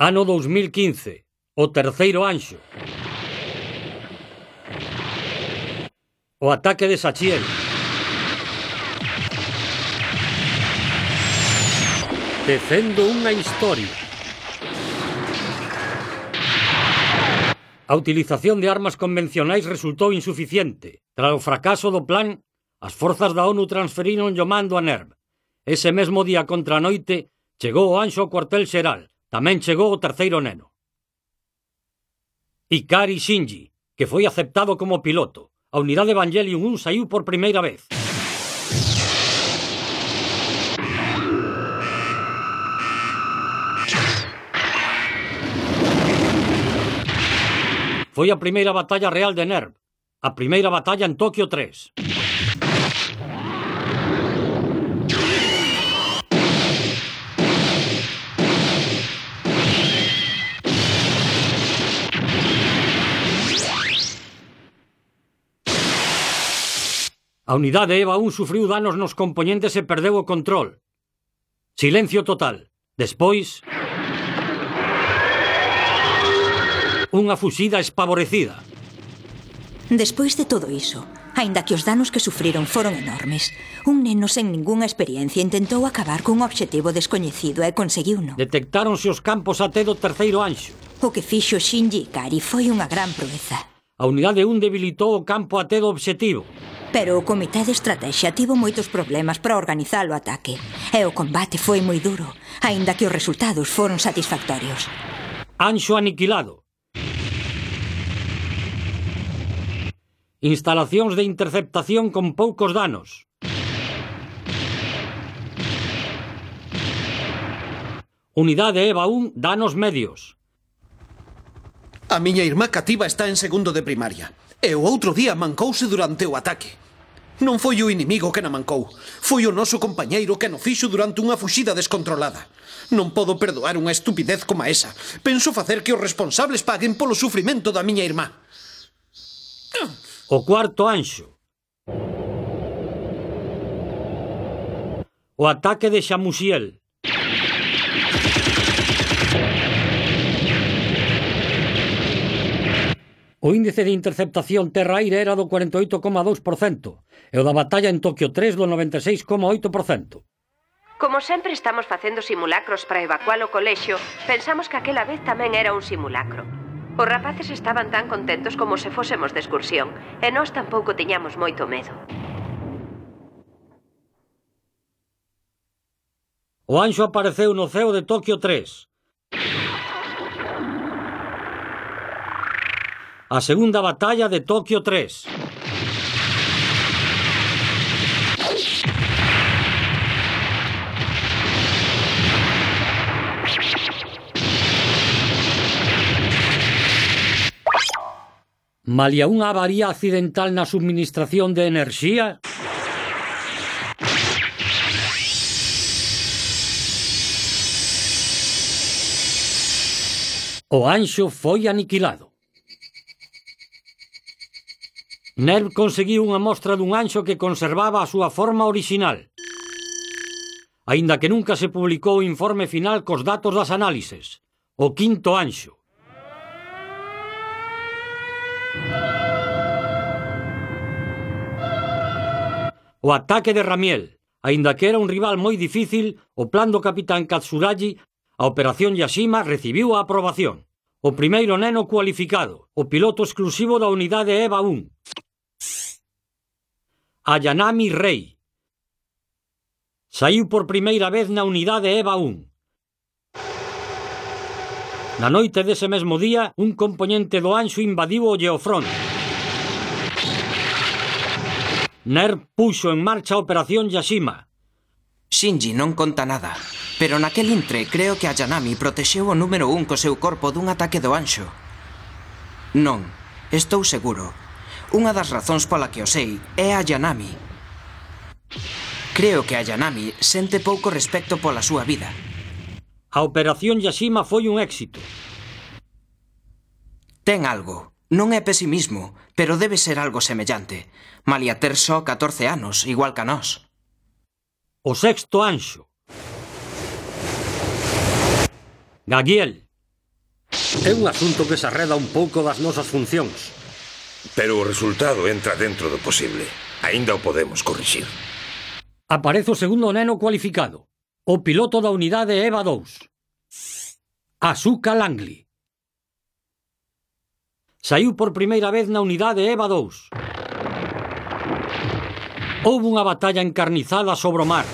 Ano 2015. O terceiro anxo. O ataque de Sachiel. Tecendo unha historia. A utilización de armas convencionais resultou insuficiente. Tras o fracaso do plan, as forzas da ONU transferiron o mando a NERV. Ese mesmo día contra a noite, chegou o anxo ao cuartel xeral. Tamén chegou o terceiro neno. Ikari Shinji, que foi aceptado como piloto. A unidade Evangelion 1 saiu por primeira vez. Foi a primeira batalla real de NERV. A primeira batalla en Tokio 3. A unidade EVA 1 sufriu danos nos componentes e perdeu o control. Silencio total. Despois, unha fuxida espavorecida. Despois de todo iso, aínda que os danos que sufriron foron enormes, un neno sen ningunha experiencia intentou acabar cun obxectivo descoñecido e conseguiuno. Detectáronse os campos AT do terceiro anxo. O que fixo Shinji Ikari foi unha gran proeza. A unidade 1 debilitou o campo AT do obxectivo. Pero o comité de estrategia tivo moitos problemas para organizar o ataque, e o combate foi moi duro, aínda que os resultados foron satisfactorios. Anxo aniquilado. Instalacións de interceptación con poucos danos. Unidade EVA 1, danos medios. A miña irmá cativa está en segundo de primaria, e o outro día mancouse durante o ataque. Non foi o inimigo que na mancou, foi o noso compañeiro que no fixo durante unha fuxida descontrolada. Non podo perdoar unha estupidez como esa. Penso facer que os responsables paguen polo sufrimento da miña irmá. O cuarto anxo. O ataque de Shamusiel. O índice de interceptación terra-aire era do 48,2% e o da batalla en Tokio 3 do 96,8%. Como sempre estamos facendo simulacros para evacuar o colexio, pensamos que aquela vez tamén era un simulacro. Os rapaces estaban tan contentos como se fósemos de excursión, e nós tampouco tiñamos moito medo. O anxo apareceu no ceo de Tokio 3. A segunda batalla de Tokio 3. Malia unha avaría accidental na subministración de enerxía, o anxo foi aniquilado. NERV conseguiu unha mostra dun anxo que conservaba a súa forma orixinal, aínda que nunca se publicou o informe final cos datos das análises. O quinto anxo. O ataque de Ramiel. Aínda que era un rival moi difícil, o plan do capitán Katsuragi, a operación Yashima, recibiu a aprobación. O primeiro neno cualificado, o piloto exclusivo da unidade EVA 1. Ayanami Rei. Saiu por primeira vez na unidade EVA 1. Na noite dese mesmo día, un componente do anxo invadiu o Geofront. NERV puxo en marcha a operación Yashima. Shinji non conta nada, pero naquel intre creo que Ayanami protexeu o número 1 co seu corpo dun ataque do anxo. Non, estou seguro. Unha das razóns pola que o sei é Ayanami. Creo que Ayanami sente pouco respecto pola súa vida. A operación Yashima foi un éxito. Ten algo. Non é pesimismo, pero debe ser algo semellante. Malia ter só 14 anos, igual que a nós. O sexto anxo. Gagiel. É un asunto que se arreda un pouco das nosas funcións. Pero o resultado entra dentro do posible. Aínda o podemos corrixir. Aparece o segundo neno cualificado. O piloto da unidade EVA 2. Asuka Langley. Saiu por primeira vez na unidade EVA 2. Houve unha batalla encarnizada sobre o mar.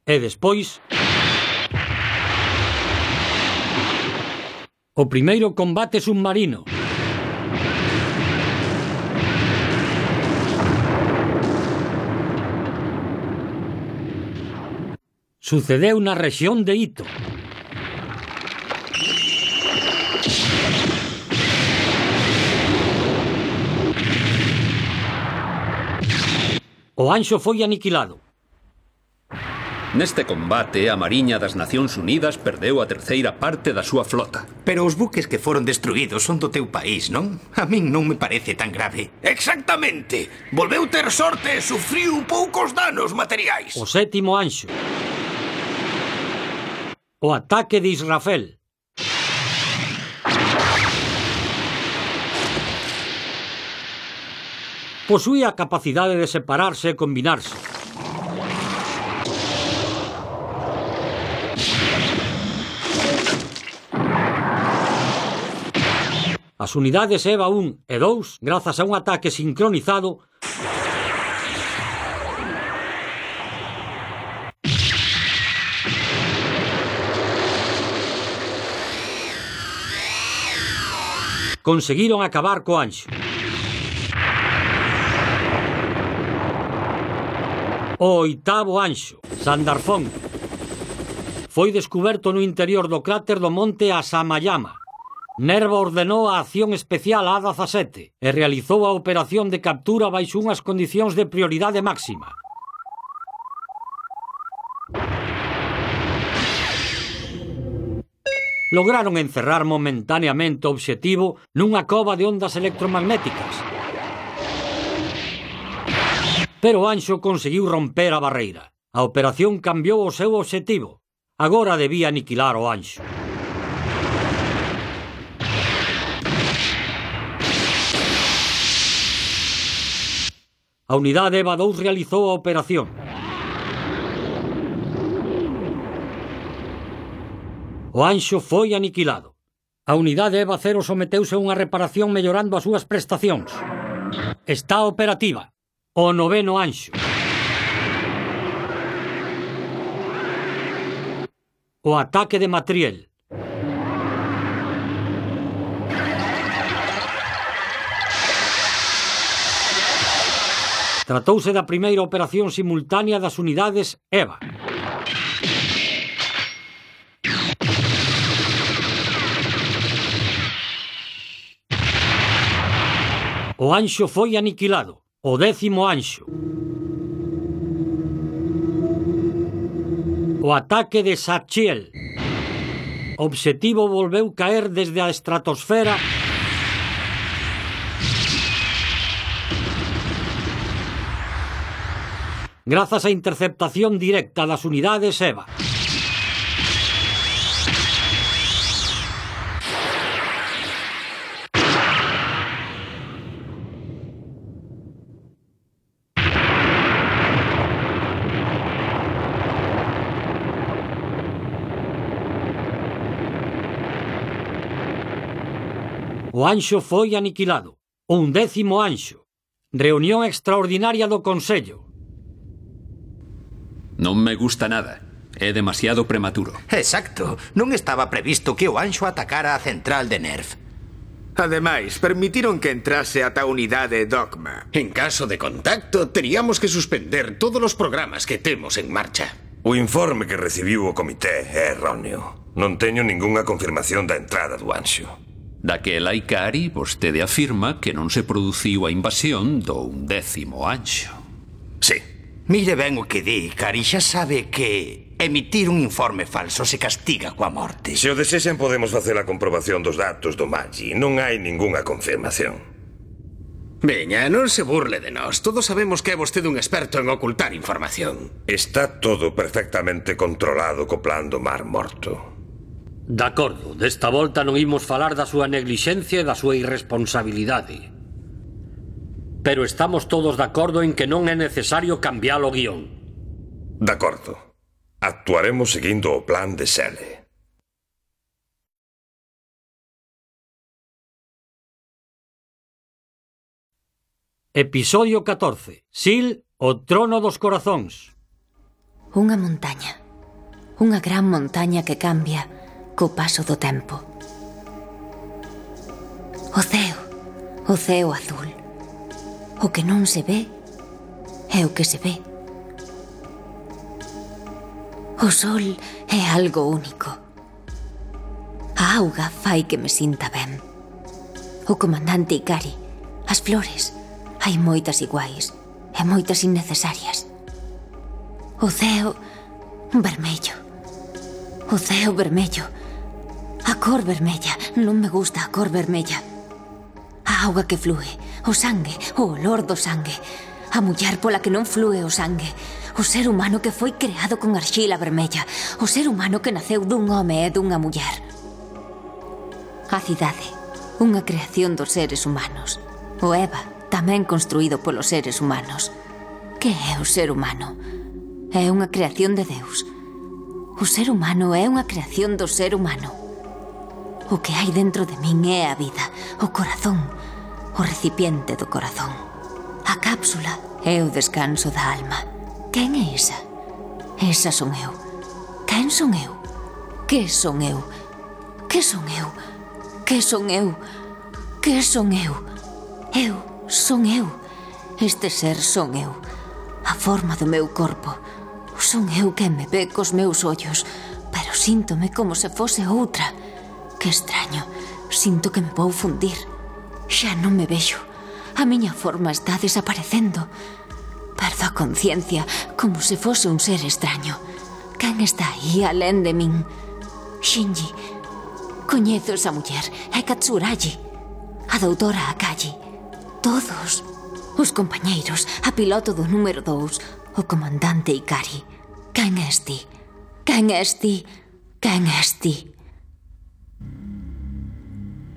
E despois, o primeiro combate submarino. Sucedeu na rexión de Ito. O Anxo foi aniquilado. Neste combate, a Mariña das Nacións Unidas perdeu a terceira parte da súa flota. Pero os buques que foron destruídos son do teu país, non? A min non me parece tan grave. Exactamente. Volveu ter sorte e sufriu poucos danos materiais. O sétimo Anxo. O ataque de Israfel. Posuía a capacidade de separarse e combinarse. As unidades EVA 1 e 2, grazas a un ataque sincronizado, conseguiron acabar co Anxo. O oitavo Anxo, Sandarfón, foi descuberto no interior do cráter do monte Asamayama. Nerva ordenou a acción especial A-17 e realizou a operación de captura baixo unhas condicións de prioridade máxima. Lograron encerrar momentaneamente o obxectivo nunha cova de ondas electromagnéticas. Pero o Anxo conseguiu romper a barreira. A operación cambiou o seu obxectivo. Agora debía aniquilar o Anxo. A unidade EVA 2 realizou a operación. O Anxo foi aniquilado. A unidade EVA 0 someteuse a unha reparación mellorando as súas prestacións. Está operativa. O noveno Anxo. O ataque de Matriel. Tratouse da primeira operación simultánea das unidades EVA. O Anxo foi aniquilado. O décimo Anxo. O ataque de Sachiel. O obxectivo volveu caer desde a estratosfera grazas á interceptación directa das unidades EVA. O Anxo foi aniquilado. O 11º Anxo. Reunión extraordinaria do Consello. Non me gusta nada. É demasiado prematuro. Exacto. Non estaba previsto que o Anxo atacara a central de Nerv. Ademais, permitiron que entrase ata a unidade Dogma. En caso de contacto, teríamos que suspender todos os programas que temos en marcha. O informe que recibiu o comité é erróneo. Non teño ningunha confirmación da entrada do Anxo. Daquela Ikari, vostede afirma que non se produciu a invasión do 11º Anxo. Sí. Mire ben o que di, Ikari, xa sabe que emitir un informe falso se castiga coa morte. Se o desexen podemos facer a comprobación dos datos do Magi. Non hai ningunha confirmación. Veña, non se burle de nós. Todos sabemos que é vostede un experto en ocultar información. Está todo perfectamente controlado co plan do Mar Morto. De acordo, desta volta non imos falar da súa neglixencia e da súa irresponsabilidade. Pero estamos todos de acordo en que non é necesario cambiar o guión. De acordo. Actuaremos seguindo o plan de Sele. Episodio 14. Sil, o trono dos corazóns. Unha montaña. Unha gran montaña que cambia co paso do tempo. O ceo azul. O que non se ve é o que se ve. O sol é algo único. A auga fai que me sinta ben. O comandante Ikari, as flores. Hai moitas iguais e moitas innecesarias. O ceo vermello. O ceo vermello. A cor vermella. Non me gusta a cor vermella. A auga que flúe. O sangue. O olor do sangue. A muller pola que non flúe o sangue. O ser humano que foi creado con arxila vermella. O ser humano que naceu dun home e dunha muller. A cidade. Unha creación dos seres humanos. O Eva. Tamén construído polos seres humanos. Que é o ser humano? É unha creación de Deus. O ser humano é unha creación do ser humano. O que hai dentro de min é a vida, o corazón, o recipiente do corazón. A cápsula é o descanso da alma. Quen é esa? Esa son eu. Quen son eu? Que son eu? Que son eu? Que son eu? Que son eu? Eu son eu. Este ser son eu. A forma do meu corpo. Son eu quen me ve cos meus ollos, pero síntome como se fose outra. Que extraño. Sinto que me vou fundir. Xa non me vexo. A miña forma está desaparecendo. Perdo a conciencia como se fose un ser extraño. Quen está aí alén de min? Shinji. Coñezo esa muller. É Katsuragi. A doutora Akagi. Todos. Os compañeiros. A piloto do número 2. O comandante Ikari. Quen és ti? Quen és ti? Quen és ti?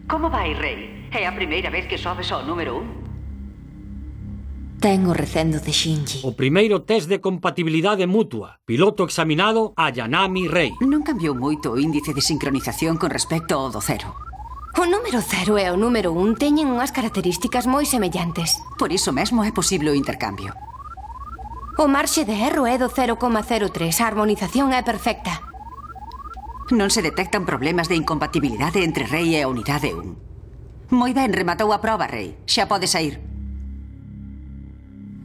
Como vai, Rei? É a primeira vez que sobes ao número 1? Ten o recendo de Shinji. O primeiro test de compatibilidade mutua. Piloto examinado Ayanami Rei. Non cambiou moito o índice de sincronización con respecto ao do 0. O número 0 e o número 1 teñen unhas características moi semellantes. Por iso mesmo é posible o intercambio. O marxe de erro é do 0,03. A harmonización é perfecta. Non se detectan problemas de incompatibilidade entre Rei e a unidade 1. Moi ben, rematou a proba, Rei. Xa pode sair.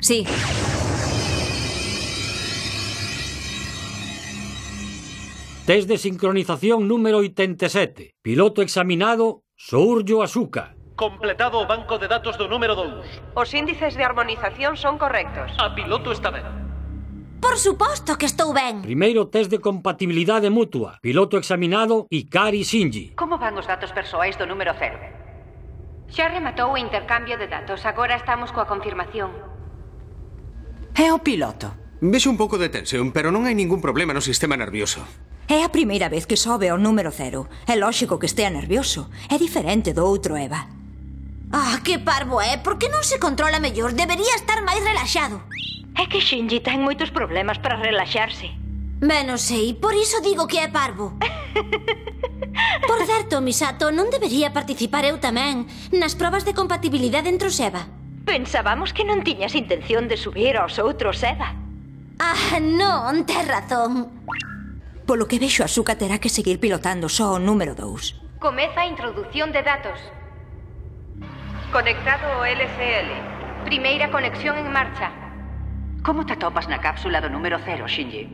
Sí. Test de sincronización número 87. Piloto examinado Souryo Asuka. Completado o banco de datos do número 2. Os índices de harmonización son correctos. A piloto está ben. Por suposto que estou ben. Primeiro test de compatibilidade mutua. Piloto examinado Ikari Shinji. Como van os datos persoais do número 0? Xa rematou o intercambio de datos. Agora estamos coa confirmación. É o piloto. Vexo un pouco de tensión, pero non hai ningún problema no sistema nervioso. É a primeira vez que sobe ao número 0. É lóxico que estea nervioso. É diferente do outro Eva. Ah, que parvo é. Por que non se controla mellor? Debería estar máis relaxado. É que Shinji ten moitos problemas para relaxarse. Ben, non sei. Por iso digo que é parvo. Por certo, Misato, non debería participar eu tamén nas probas de compatibilidade entre os Eva. Pensábamos que non tiñas intención de subir aos outros Eva. Ah, non, tes razón. Polo que vexo, Asuka terá que seguir pilotando só o número 2. Comeza a introducción de datos. Conectado ao LCL. Primeira conexión en marcha. Como te atopas na cápsula do número 0, Shinji?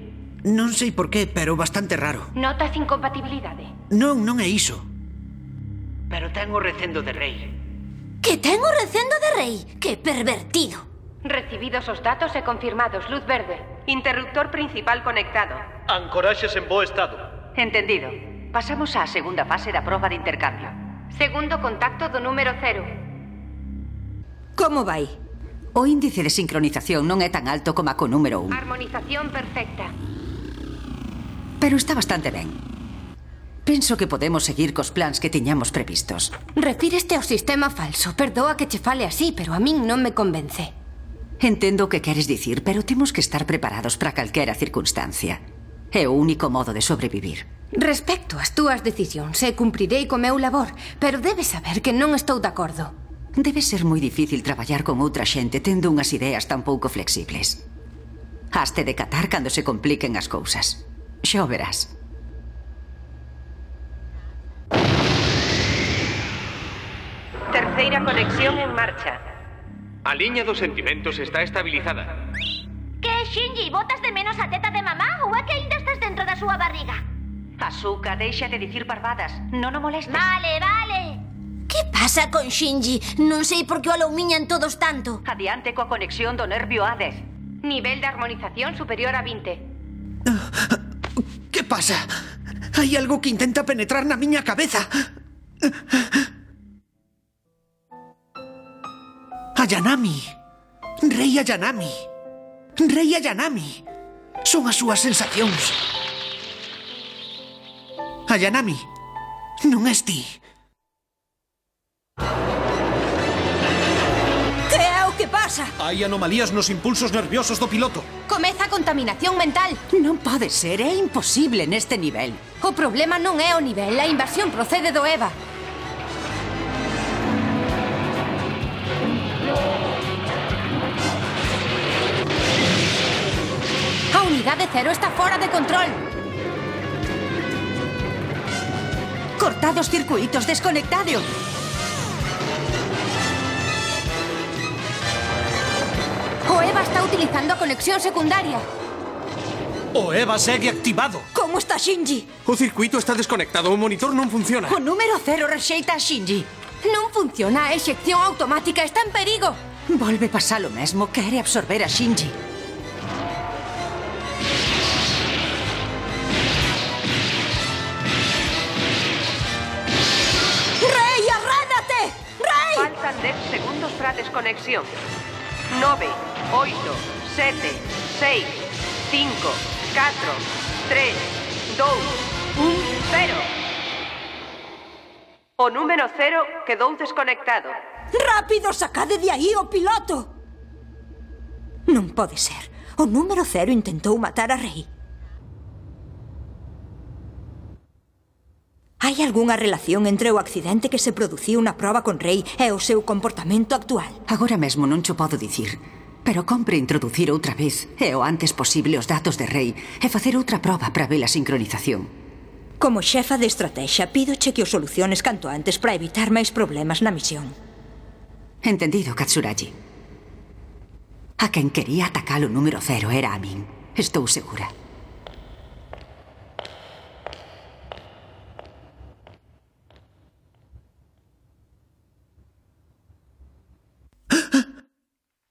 Non sei por qué, pero bastante raro. Notas incompatibilidade? Non é iso. Pero ten o recendo de Rei. Que ten o recendo de Rei? Que pervertido. Recibidos os datos e confirmados, luz verde. Interruptor principal conectado. Ancoraxes en bo estado. Entendido. Pasamos á segunda fase da proba de intercambio. Segundo contacto do número 0. Como vai? O índice de sincronización non é tan alto como a co número 1. Armonización perfecta. Pero está bastante ben. Penso que podemos seguir cos plans que tiñamos previstos. Refíreste ao sistema falso. Perdoa que che fale así, pero a min non me convence. Entendo o que queres dicir, pero temos que estar preparados para calquera circunstancia. É o único modo de sobrevivir. Respecto ás túas decisións, cumprirei co meu labor, pero debes saber que non estou de acordo. Debe ser moi difícil traballar con outra xente tendo unhas ideas tan pouco flexibles. Haste de catar cando se compliquen as cousas. Xa o verás. Terceira conexión en marcha. A liña dos sentimentos está estabilizada. Que, Shinji, botas de menos a teta de mamá ou é que ainda estás dentro da súa barriga? Asuka, deixa de dicir parvadas. Non o molestes. Vale, vale. Que pasa con Shinji? Non sei por que o aloumiñan todos tanto. Adiante coa conexión do nervio A10. Nivel de armonización superior a 20. Que pasa? Hai algo que intenta penetrar na miña cabeza. Ayanami. Rei Ayanami. Rei Ayanami. Son as súas sensacións. Ayanami, non és ti. Que é o que pasa? Hai anomalías nos impulsos nerviosos do piloto. Comeza a contaminación mental. Non pode ser, é imposible neste nivel. O problema non é o nivel, a invasión procede do EVA. A unidade cero está fora de control. Cortados circuitos, desconectado. O EVA está utilizando a conexión secundaria. O EVA segue activado. Como está Shinji? O circuito está desconectado, o monitor non funciona. O número 0 rexeita a Shinji. Non funciona, a exección automática está en perigo. Volve pasar o mesmo, quere absorber a Shinji. ¡Rei, arrédate! ¡Rei! Faltan 10 segundos para a desconexión. 9, 8, 7, 6, 5, 4, 3, 2, 1, 0. O número 0 quedou desconectado. Rápido, sacade de aí o piloto! Non pode ser. O número 0 intentou matar a Rei. Hai algunha relación entre o accidente que se produciu na proba con Rei e o seu comportamento actual? Agora mesmo non cho podo dicir, pero compre introducir outra vez e o antes posible os datos de Rei e facer outra proba para ver a sincronización. Como xefa de estrategia, pídoche que o soluciones canto antes para evitar máis problemas na misión. Entendido, Katsuragi. A quen quería atacar o número 0 era a min. Estou segura.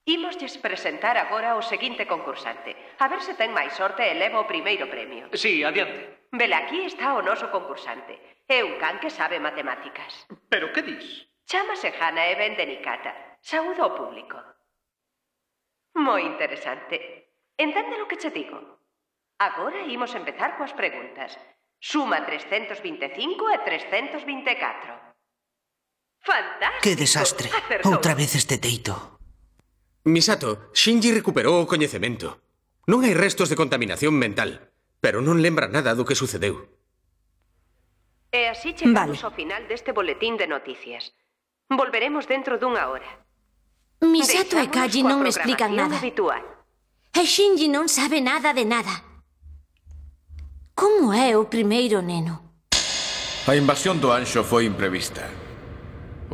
Imoslles presentar agora o seguinte concursante. A ver se ten máis sorte e leva o primeiro premio. Sí, adiante. Velaquí está o noso concursante. É un can que sabe matemáticas. Pero que dis? Chámase Hana e ven de Nikata. Saúda ao público. Moi interesante. Entende lo que che digo? Agora imos empezar coas preguntas. Suma 325 e 324. Fantástico! Que desastre. Acertou. Outra vez este teito. Misato, Shinji recuperou o coñecemento. Non hai restos de contaminación mental, pero non lembra nada do que sucedeu. E así chegamos ao final deste boletín de noticias. Volveremos dentro dunha hora. Misato e Kaji non me explican nada. Habitual. E Shinji non sabe nada de nada. Como é o primeiro neno? A invasión do Anxo foi imprevista.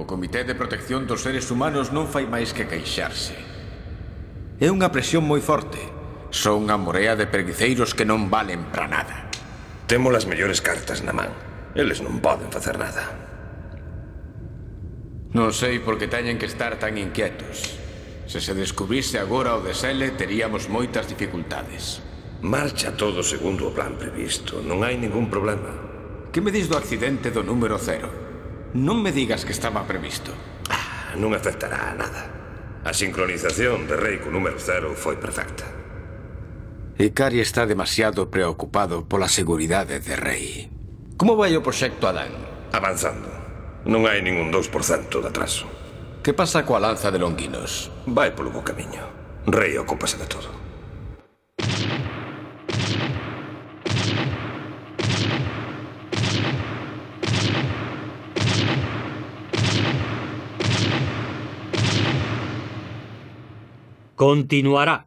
O Comité de Protección dos Seres Humanos non fai máis que queixarse. É unha presión moi forte. Son unha morea de preguiceiros que non valen para nada. Temos as mellores cartas na man. Eles non poden facer nada. Non sei por que teñen que estar tan inquietos. Se se descubrise agora o desele, teríamos moitas dificultades. Marcha todo segundo o plan previsto. Non hai ningún problema. Que me dis do accidente do número 0? Non me digas que estaba previsto. Non afectará a nada. A sincronización de Rei co número 0 foi perfecta. Ikari está demasiado preocupado pola seguridade de Rei. Como vai o proxecto Adán? Avanzando. Non hai ningún 2% de atraso. Que pasa coa lanza de Longuinos? Vai polo bo camiño. Rei ocúpase de todo. Continuará.